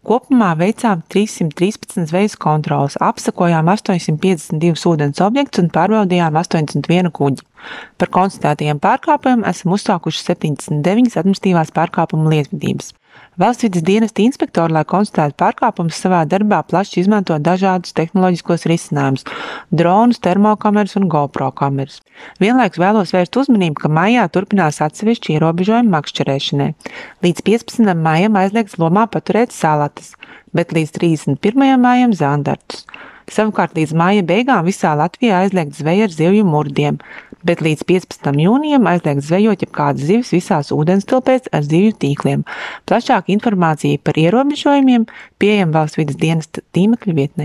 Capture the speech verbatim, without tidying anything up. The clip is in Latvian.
Kopumā veicām trīssimt trīspadsmit zvejas kontroles, apsekojām astoņsimt piecdesmit divus ūdens objektus un pārbaudījām astoņdesmit vienu kuģi. Par konstatētajiem pārkāpumiem esam uzsākuši septiņdesmit deviņas administratīvās pārkāpumu lietvedības. Valsts vides dienesta inspektori, lai konstatētu pārkāpumus, savā darbā plaši izmanto dažādus tehnoloģiskos risinājumus – dronus, termokameras un GoPro kameras. Vienlaikus vēlos vērst uzmanību, ka maijā turpinās atsevišķi ierobežojumi makšķerēšanai. Līdz piecpadsmitam maijam aizliegts Lomā paturēt salatas, bet līdz trīsdesmit pirmajam maijam zandartus. Savukārt līdz maija beigām visā Latvijā aizliegts zveja ar zivju murdiem, bet līdz piecpadsmitam jūnijam aizliegts zvejot jebkādas zivis visās ūdenstilpēs ar zivju tīkliem. Plašāka informācija par ierobežojumiem pieejama Valsts vides dienesta tīmekļa vietnē.